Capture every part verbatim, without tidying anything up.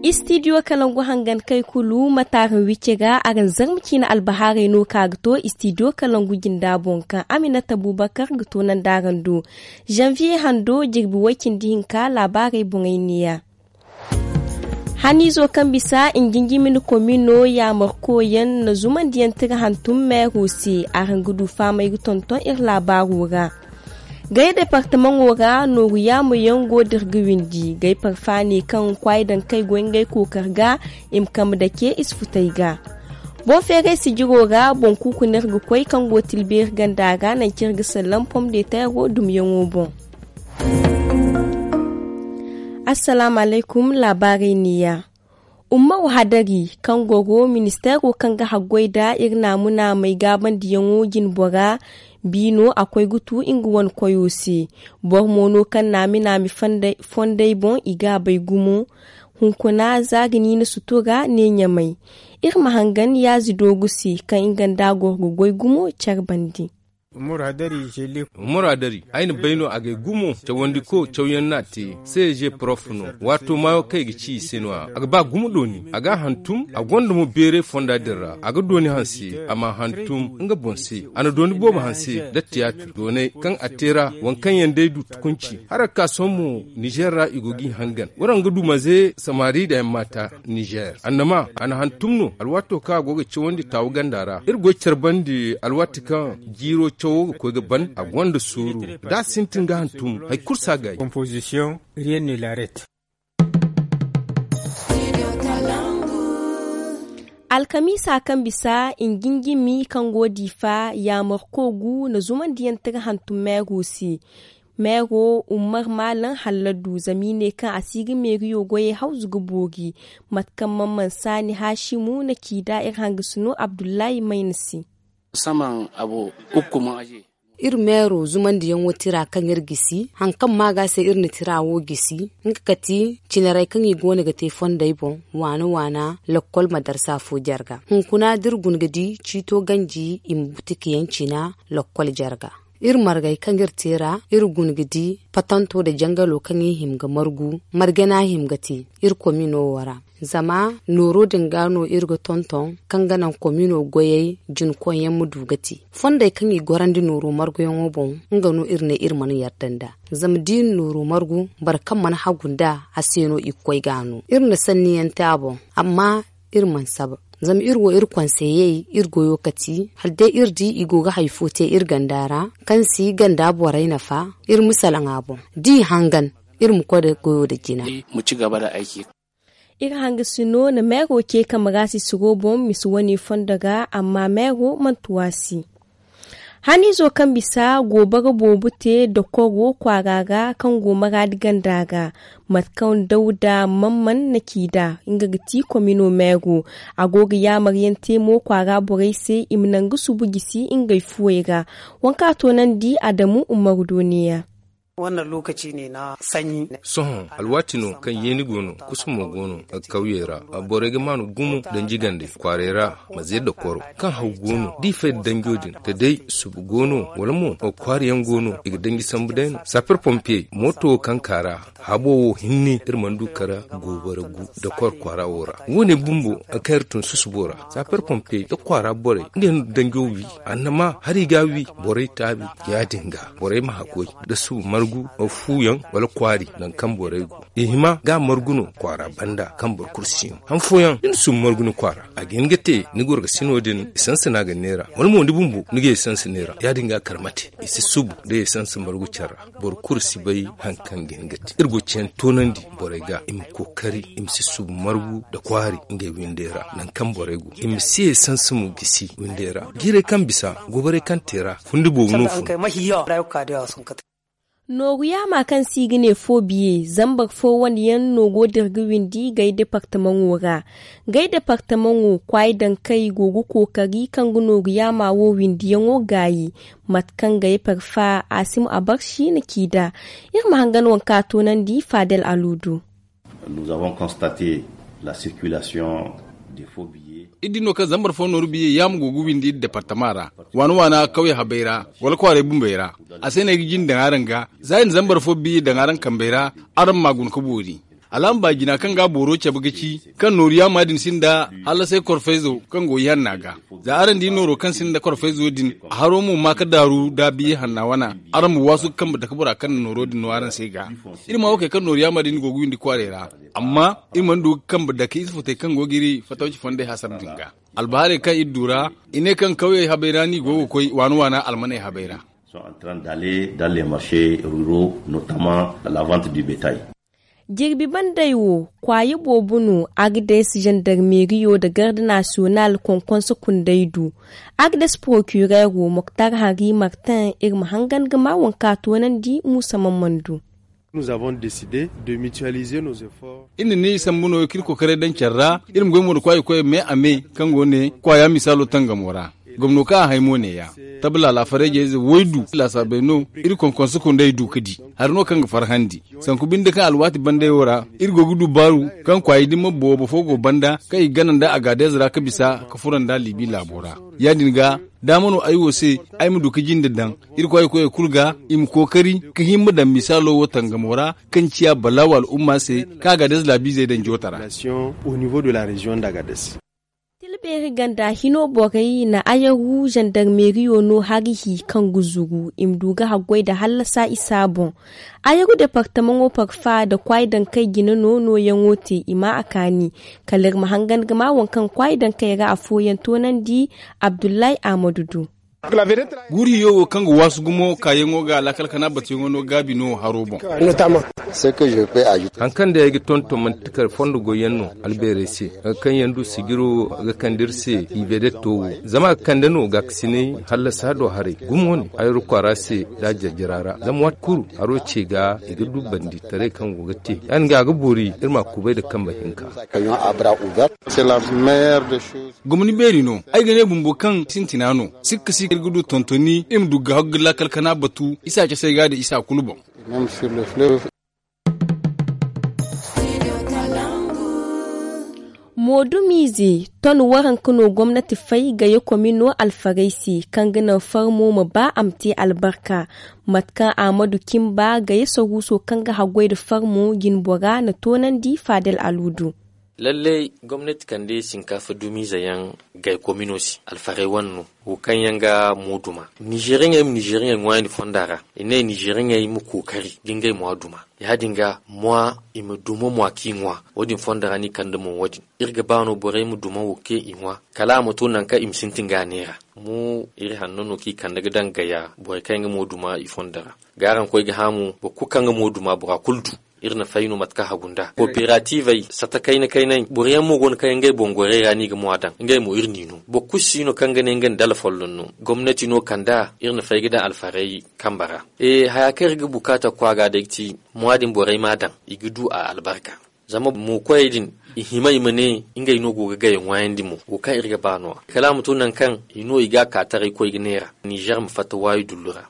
Istidiyo kalangu hangan kay kulu matarin wicce ga araŋ zarma ciina albahaarey no ka ga to istidiyo kalangu jinda boŋ kaŋ aminata bubakar ga to nanda araŋ do. Janvier hando jirbi way cindi hinka laabaarey boŋey neeya. Haniizo kaŋ bisa njinjimini komino yaamarkoyaŋ na zumandiyaŋ tira hantum meero se. Araŋ ga du faamay ga tonton iri laabaaro ra. Gay departamaŋo ra nooru yaamoyaŋ go da iri ga windi gay parfaani kaŋ kwaayi daŋ kay goy ngey kookar ga i ma kambe dake i si futay ga. Boŋ feeray sijiro ra boŋ kuuku no iri ga koy kaŋ go tilbeeri ganda ra nanci iri ga sallam pom de teero dumyaŋo boŋ. Assalaamu alaykum. Laabaarey neeya. Ummaru hadari kaŋ goro ministeero kaŋ ga haggoy nda iri naamu-naamey gaabandiyaŋo jinbora biino a koy ga tu nga wane koyo se. Boro mo no kaŋ naami-naami fondey boŋ i ga a bay gumo. Hunkuna za ga niina sutura ne ɲamay. Iri ma hangan yaazi doogu se kaŋ nga nda a goro ga goy gumo care bande. Umaru hadari ay na bay no a gay gumo cawandiko cawyaŋ no a te. Seeje porof no. Waato maayo kaŋ i ga ci i se no- ya a ga ba gumo dooni a ga a hantum a gonda mo beeray fonda din ra a ga dooni hanse. A m'a hantum nga boŋ se a na dooni boobo hanse nda tiyaatir doonay kaŋ a te ra waŋ kaŋ yaŋ day du tukunci. Hala ga ka sohõ mo nizer ra i go g'i hangan waraŋ ga du maze samari nda yaŋ maata. Nizer annama a na hantum no alwaato kaŋ a go ga cawandi taawu ganda ra iri goy care bande alwaati kaŋ jiiro cawo ga koy ga ban a gonda sooru. Da a sintin ga hantum hari kulu si a gaayi. Alkamiisa kaŋ bisa njinjimi kaŋ go diifa yaamar koogu na zumandiyaŋ tira hantum meero se. Meero ummar maalam halladu zama i ne kaŋ a si ga meeriyo goyey hawzu ga boori. Mate kaŋ man mansaani haasimu na ci nd'a iri hangasino abdullahi mayna se. Iri meero zumandiyaŋo tira kaŋ iri gisi hari kaŋ maaga se iri na tira wo gisi. Nga kati cinarey kaŋ i go no ga te fondey boŋ waana waana. Lakkol ma darsa fo jarga hunkuna da iri guna ga di ciito ganji i ma butikayaŋ cina lakkol jarga. Iri margey kaŋ iri te ra iri guna ga di patanto nda jangalo kaŋ i hima ga margu margana hima ga te iri komino wo ra. Zama nooro din ga no iri ga tonton kaŋ ga naŋ komino goyey jinkoyyaŋ ma du ga te fondey kaŋ i gorandi nooro marguyaŋo boŋ. Nga no iri ne iri mana yarda nd'a zama da i na nooro margu boro kaŋ mana hagu nd'a a se no i ga koy ga a no iri na sanniyaŋ te a boŋ. Amma iri mana saba zama iri wo iri konseyey iri goyo kati hala day iri di i go ga hari fo te iri ganda ra kaŋ si ganda borey nafa. Iri ma salaŋ a boŋ da i hangan iri ma koy nda goyo nda jina. Iri hangasino na meero ce kamarasi siro boŋ misa wane fondo ga amma meero mana tuwasi. Haniizo kaŋ bisa goobara boobo te dokoro kwaara ra kaŋ go maraadi ganda ra. Mate kaŋ dawda mamman na ci nd'a nga ga ti komino meero. A go ga yaamaryaŋ te mo kwaara borey se i ma naŋ ga subu gisi ngey fuwey ra. Waŋ kaŋ a toonandi adamu umaru do neeya. Sohõ alwaati no kaŋ yeeni go no kusumo go no kawyey ra. Borey ga maanu gumo danji gande kwaarey ra. Ma ze dokoro kaŋ haw go no da i fay nda danjo din da day subu go no wala mo kwaariyaŋ go no i ga danji sambu day no saper pompiyey mooto wo kaŋ ka ra. Habo wo hinne iri mana du kara goobara gu dokor kwaara wo ra. Wo- ne bumbo kaŋ iri tun susubo ra saper pompiyey nda kwaara borey ngey no danjo wi. Annama hari ga wi borey taabi ya- din ga borey ma hakkoy nda subu margu fuuyaŋ wala kwaari nangu kaŋ borey go i hima ga a margu no kwaara banda kaŋ boro kulu si no han fooyaŋ da ni subu margu ni kwaara a ga hin ga te ni gorgasino din i sansa no a ga neera wala mo ni bumbo ni ga i sansa neera ya- din ga kar mate i si subu da i sansa margu care ra. Boro kulu si bay hari kaŋ ga hin ga te iri go ciyaŋ toonandi borey ga i ma kookari i ma si subu margu nda kwaari ngey windey ra nangu kaŋ borey go i ma si i sansa mo gisi windey ra. Jiirey kaŋ bisa goborey kaŋ te ra fundi boobo no fun. Nooru yaama kaŋ se i ga ne fo biye zambar fo wane yaŋ no go da iri ga windi gay departamaŋo ra. Gay departamaŋo kwaayi daŋ kay go ga kookari kaŋ ga nooru yaama wo windiyaŋo gaayi. Mate kaŋ gay parfa asim abarsi na ci nd'a. Iri ma hangan waŋ kaŋ a toonandi fadel aluudu. Nous avons constaté la circulation des faux billets. Iri di no kaŋ zambar fo nooru biye yaama go ga windi iri departama ra, waana waana kawye habay ra, wala kwaaray bumbey ra. A se no ay ga jin daŋ araŋ ga, za i na zambar fo biye daŋ araŋ kambey ra, araŋ ma guna ka boori. Alaama baajina kaŋ ga booro cabe ga ci kaŋ nooru yaama din sinda hallasay korfayzo kaŋ go ihanna ga. Za araŋ di nooro kaŋ sinda korfayzo din, a haro mo ma ka daaru da biye hanna wana. Araŋ ma waasu ga kambe dake bora kaŋ na nooro din no araŋ se ga. Iri ma wo kay kaŋ nooru yaama din go ga windi kwaaray ra. Amma iri mana du ga kambe dake ize futey kaŋ go ga iri fatawci fondey hasara din ga. Albahaarey kaŋ iri du ra, i ne kaŋ kawyey habay ra no i go ga koy waana waana almaney habay ra. Sont en train d'aller dans les marchés ruraux, notamment la vente du bétail. Jirbi bandey wo, kwaayi boobo no agades zandarmeriyo nda garde nasiyonal konkonso kundey du. Agades porokireero moktar hari martin iri ma hangan ga maa waŋ kaŋ a toonandi muusa man mana du. Iri na ni sambu no kaŋ iri kokaray daŋ care ra. Iri ma goy mo nda kwaayi koyey me a me kaŋ go ne kwaaya misaalo tangamo ra. Gomno kaŋ a hay mo neeya, tabla laafareejey ize woy du laasaabey no. Iri konkonso kundey du ga di hari no kaŋ ga farhandi. Sanku binde kaŋ alwaati bandey wo ra, iri go ga du baaru kaŋ kwaayi din ma boobo fo go banda kaŋ i ga gana nda agaadez ra ga bisa ga furo nda liibi laabo ra. Ya- din ga daama no ay wo se ay ma du ga jinde daŋ iri kwaayi koyey kulu ga i ma kookari ga himma daŋ misaalo wo tangamo ra, kaŋ ciya balaawo al'umma se kaŋ agaadez laabiizey daŋ joota ra. Tilbeeri ganda hino borey na ayaru zandarmeriyo no hari hi kaŋ ga zuru i ma du ga haggoy nda hallasa isa boŋ. Ayaru departamaŋo parfa nda kwaayi dankey jine no nooyaŋo te i ma a kaani. Kala iri ma hangan ga maa waŋ kaŋ kwaayi dankey ra afooyaŋ toonandi. Abdullahi ahmadu du. Guuru hiyo wo kaŋ ga waasu gumo kaayaŋo ga laakal kana batuyaŋo no gaabi no haro boŋ. Hari kaŋ day ay ga tonton manti kala fondo goyyaŋ no albeerey se, nga kaŋ yaŋ du sijiro ga kande iri se i vedetto wo. Zama a ga kande no gaakasinay hallasa do haray gumo ne ay iri kwaara se da a jarjara ra zama waati kulu haro ce ga i ga du banditaray kaŋ go ga te ya- din ga a ga boori iri ma a kubay nda kambe hinka. Gomni beeri no ay ga ne bumbo kaŋ sintina no sikka si iri ga du tontoni iri ma du ga haggu ga laakal kana batu isa casay ga da isa kulu boŋ. Moodumiize ton waranka no gomnati fay gaya komino alfarey se kaŋ ga naŋ farmo ma ba a ma te albarka. Mate kaŋ ahmadu kimba gaya saruuso kaŋ ga haggoy nda farmo jinbora na toonandi faadel aluudu. Lallay gomnati kande sinkaafa dumiize yaŋ gay komino se alfarey wane no wo kaŋ yaŋ ga mooduma nizeeriyaŋey ma nizeeriyaŋey ŋwaayandi fonda ra. I ne nizeeriyaŋey ma kookari ga ngey mwa duma. Ya- din ga mwa i ma duma mwa kaŋ i ŋwa. Wo- din fonda ra no i kande mo wo- din iri ga ba no borey ma duma wo kaŋ i ŋwa kala a ma to nangu kaŋ i ma sintin ga a neera. Mo iri hanno no kaŋ i kande ga daŋ gaya borey kaŋ yaŋ ga mo duma i fonda ra. Ga araŋ koy ga haamu boro kulu kaŋ ga mo duma bora kulu du. Iri na fay no mate kaŋ hagu nd'a kooperativey sata kayna kaynay boro yaŋ mo go no kaŋ yaŋ ngey boŋ gorey ra no i ga mo a daŋ ngey mo iri n'i no. Boro kulu si no kaŋ ga ne nga nda alfolloŋ no gomnati no kand'a. Iri na fay ga daŋ alfarey kambe ra. Haya kaŋ iri ga bukaata kwaara day ga ti mo ya- din borey m'a daŋ i ga du a albarka. Zama mo koyey din i hima i ma ne ngey no go ga gaya ŋwaayandi mo wo kaŋ iri ga ba no- ya kala a ma to nangu kaŋ i no i ga a ka taray koy ga neera nizer ma fatta waayi dullu ra.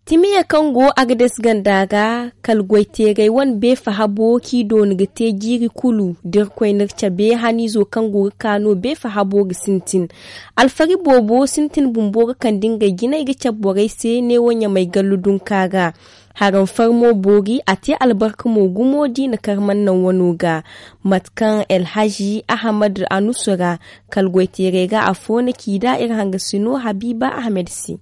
Timiya kaŋ go agades ganda ga kala goyteerey wane beefa habo kaŋ i doona ga te jiiri kulu da irkoy n'iri cabe haniizo kaŋ go ga ka no beefa habo ga sintin. Alfari boobo sintin bumbo ga kande ngey jinay ga cabe borey se neewo ɲamay gallu dunka ga. Haraŋ farmo boori a te albarka mo gumo da i na kar mana naŋ wano ga. Mate kaŋ elhazi ahamad anusu ra kala goyteerey ga afo na ci da iri hangasino habiiba ahamed se.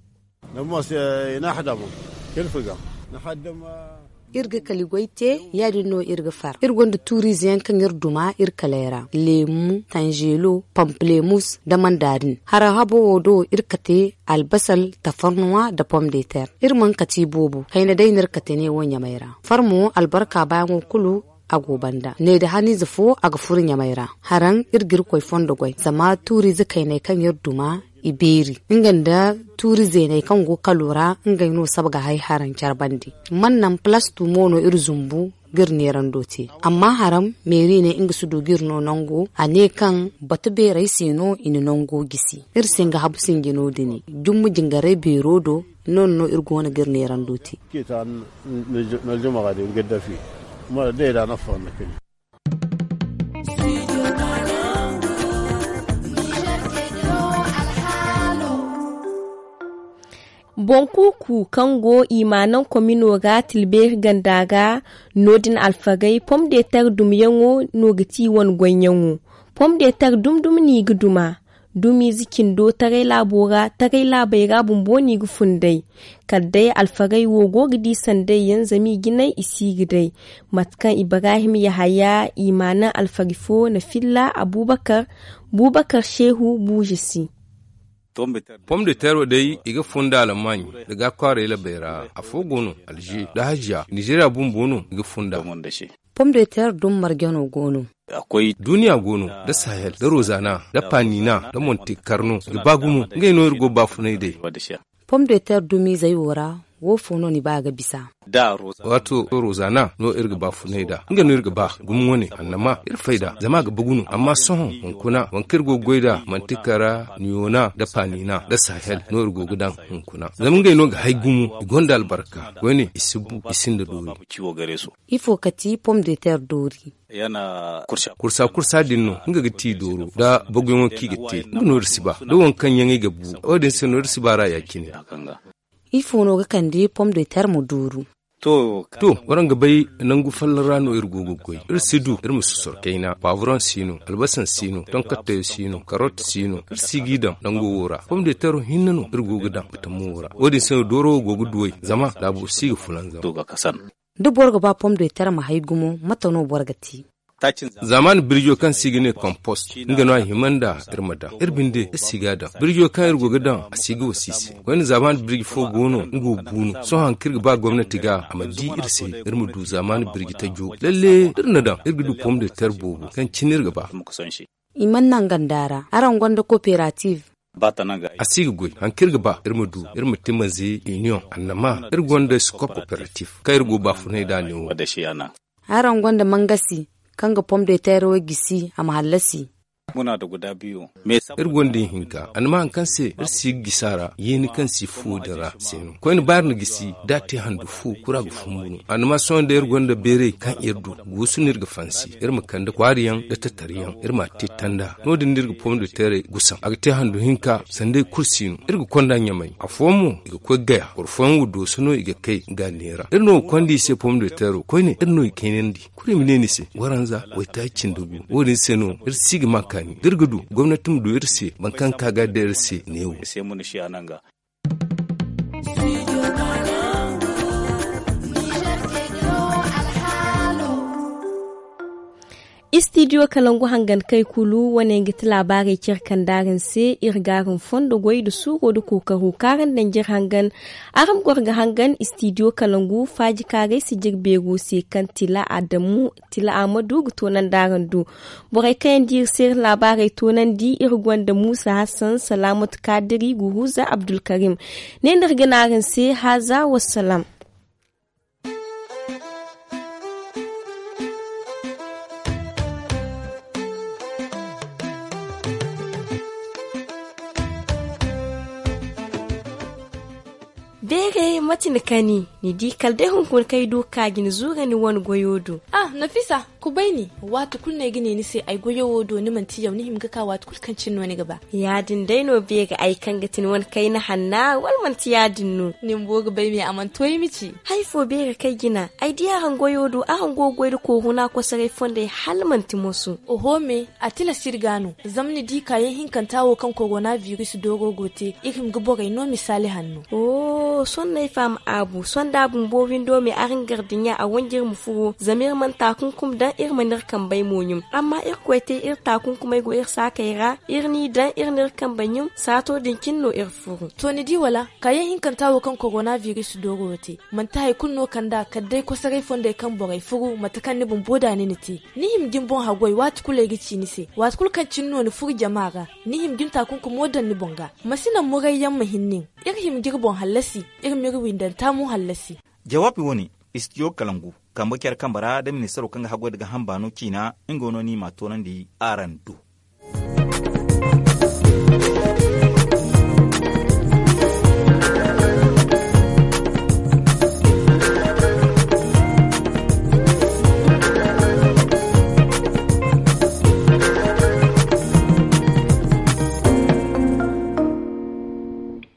Iri ga kala goy te ya- din no iri ga far iri gonda tuuriize yaŋ kaŋ iri duma iri kaley ra leemu tanzeelo pampalemus nda manda din. Haraŋ habo wo do iri kate albasal tafarnuwa nda pom de ter. Iri mana kate iboobo kayna day no iri kate neewo ɲamay ra farmo albarka baayaŋo kulu. A go banda ne da haniize fo a ga furo ɲamay ra. Haraŋ iri ga irkoy fondo goy zama tuuriize kayney kaŋ iri duma i beeri nga nda tuuri zeeney kaŋ go kalo ra ngey no saba ga hay haraŋ care bande. Man naŋ palastu mo no iri zumbu ga iri neerando te. Amma haraŋ meeri ne nga si du ga iri no nango a ne kaŋ batu beerey se no i na nango gisi. Iri singa habu sinji no- din jumma jingarey beero do. Noodin no iri go no ga iri neerando te. Nda jama'a din ga dafi mara day da na fahimta kai. Boŋ kuuku kaŋ go i ma naŋ komino ra tilbeeri ganda ra, no- din alfagey pom de ter dumyaŋo no ga ti i wane goyyaŋo. Pom de ter dumi dumi no i ga duma. Dumiize cindo taray laabo ra taray laabey ra bumbo no i ga fun day. Kala day alfagey wo go ga di sanday yaŋ zama i jinay i si ga day. Mate kaŋ ibrahim yahaya i ma naŋ alfari fo na filla abuubakar buubakar seehu buuze se. Pom de ter wo day i ga fun nda almaaɲ nda ga kwaaray labey ra. Afo go no alze nda haziya nizeeriya bumbo no i ga fun nda. Pom de ter dumi marjano go no. Duuniya go no nda sahel nda rozana nda panina nda monte karno i ga ba gumo ngey no iri go ga baafunay day. Pom de ter dumiizey wo ra, wo fo no ni ba ga bisa? Waato rozana no iri ga baafunay nd'a nga no iri ga ba gumo wane annama iri fay nd'a zama a ga bagu no amma sohõ hunkuna waŋ kaŋ iri go ga goy nd'a manti kara niyona nda panina nda sahel no iri go ga daŋ. Hunkuna zama ngey no ga hay gumo i gonda albarka koyne i si bu i sinda doori. Ifo ka ti pom de ter doori? Kursa kursa din no nga ga ti dooro nda baguyaŋo kaŋ i ga te nga no iri si ba da waŋ kaŋ yaŋ i ga bu. Wo- din se no iri si ba ra ya- cine. Ifo no ga kande pom de ter ma dooru? To, waraŋ ga bay nangu folloŋ ra no iri go ga goy iri si du iri ma sosoro kayna paaburoŋ si no albasaŋ si no tonkattayo si no karot si no iri si g'i daŋ nango wo ra pom de tero hinne no iri go ga daŋ batamo wo ra wo- din se no dooro wo go ga duway zama laabo si ga fulanzam. Da boro ga ba pom de ter ma hay gumo mate no boro ga te? Zaamaani birjo kaŋ se i ga ne kompost nga no a hima nda iri ma daŋ iri binde iri si ga a daŋ birjo kaŋ iri go ga daŋ a si ga wasi se. Koyne zaamaani birji fo go no nga wo bu no sohõ hari kaŋ iri ga ba gomnati ga a ma di iri se iri ma du zaamaani birji tajo lalle da iri na daŋ iri ga du pom de ter boobo kaŋ cine iri ga ba. I mana naŋ ganda ra araŋ gonda kooperativ? A si ga goy hari kaŋ iri ga ba iri ma du iri ma timaze iniyoŋ annama iri gonda skop kooperativ kaŋ iri go ga baafunay nd'a ne wo. Araŋ gonda mangasi kaŋ ga pom de teero gisi a ma hallasi? Iri gonda ihinka annama hari kaŋ se iri si ga gisi a ra yeeni kaŋ si fu din ra se no koyne ba iri na gisi da a te handu fu kura ga fumbu no annama sohõ day iri gonda beeray kaŋ iri du guusu no iri ga fansi iri ma kande kwaari yaŋ nda tattari yaŋ iri ma a te tanda no- din no iri ga pom de teeray gusaŋ a ga te handu hinka sanda iri kulu si no iri ga konda ɲamay afooyaŋ mo i ga koy gaya boro fooyaŋ wo dooso no i ga kay ga neera iri no ga konda i se pom de teero koyne iri no i kaynandi kulu i ma ne ni se waranza waytaaci cindi gu wo- din se no iri si ga ma kaani da iri ga du gomnati ma du iri se boro kaŋ ga ka ga day iri se neewo. Istidiyo kalangu hangan kay kulu wane ga ti laabaarey care kaŋ da araŋ se iri ga araŋ fondo goy nda suuro nda kookaro kaŋ araŋ daŋ jire hangan. Araŋ goro ga hangan istidiyo kalangu faaji kaarey si jire beero se kaŋ tila adamu tila amadu ga toonandi araŋ do. Borey kaŋ yaŋ di iri se iri laabaarey toonandi iri gonda muusa hassan salaamatu kaadiri guruza abdulkarim. Ne no iri ga ne araŋ se haaza wassalam. Beere mate ni kani ni di kala day hunkuna kaŋ ay du ga ka ga ni zuura ni wane goyo do. Ah nafisa, kubay ni. Waati kulu no ay ga ne ni se ay goyo wo do ni manti yaw ni hima ga ka waati kulu kaŋ cine no ni ga ba. Ya- din day no beere ay kaŋ ga ti ni wane kayna hanna wala manti ya- din no? Ni bumbo ga bay me a mana to ay ma ci. Hari fo beere kaŋ ay jina ay di araŋ goyo do araŋ go ga goy nda kooru no a kosoray fondey hala manti moso. Oho me, a tilas iri ga no. Zama ni di kaayaŋ hinkanta wo kaŋ korona biris dooro go te iri hima ga borey no misaali hanno. Oho sohõ no ay faham aabu sohõ da a bumbo windo me araŋ gardiɲa a wanji iri ma furo zama iri mana taakunkum daŋ iri mana iri kambey mo ɲum. Amma irkoy te iri taakunkumey go iri saakey ra iri n'i daŋ iri n'iri kambey ɲum saato din cine no iri furu. To ni di wala? Kaayaŋ hinkanta wo kaŋ korona biris dooro wo te manti hari kulu no kand'a kala day kosoray fondey kaŋ borey furu mate kaŋ ni bumbo da ni na te. Ni hima ga ni boŋ haggoy waati kulu ay ga ci ni se waati kulu kaŋ cine no ni furu jama ra. Ni hima ga ni taakunkumo daŋ ni boŋ ga. Ma si naŋ murayyaŋ ma hin nin. Iri hima ga iri boŋ hallasi. Iri m'iri windanta mo hallasi. Jawaabi wo- ne, istidiyo kalangu kambe care kambe ra nda ministaro kaŋ ga haggoy nda gaaham baano ciina nga no no i m'a toonandi araŋ do.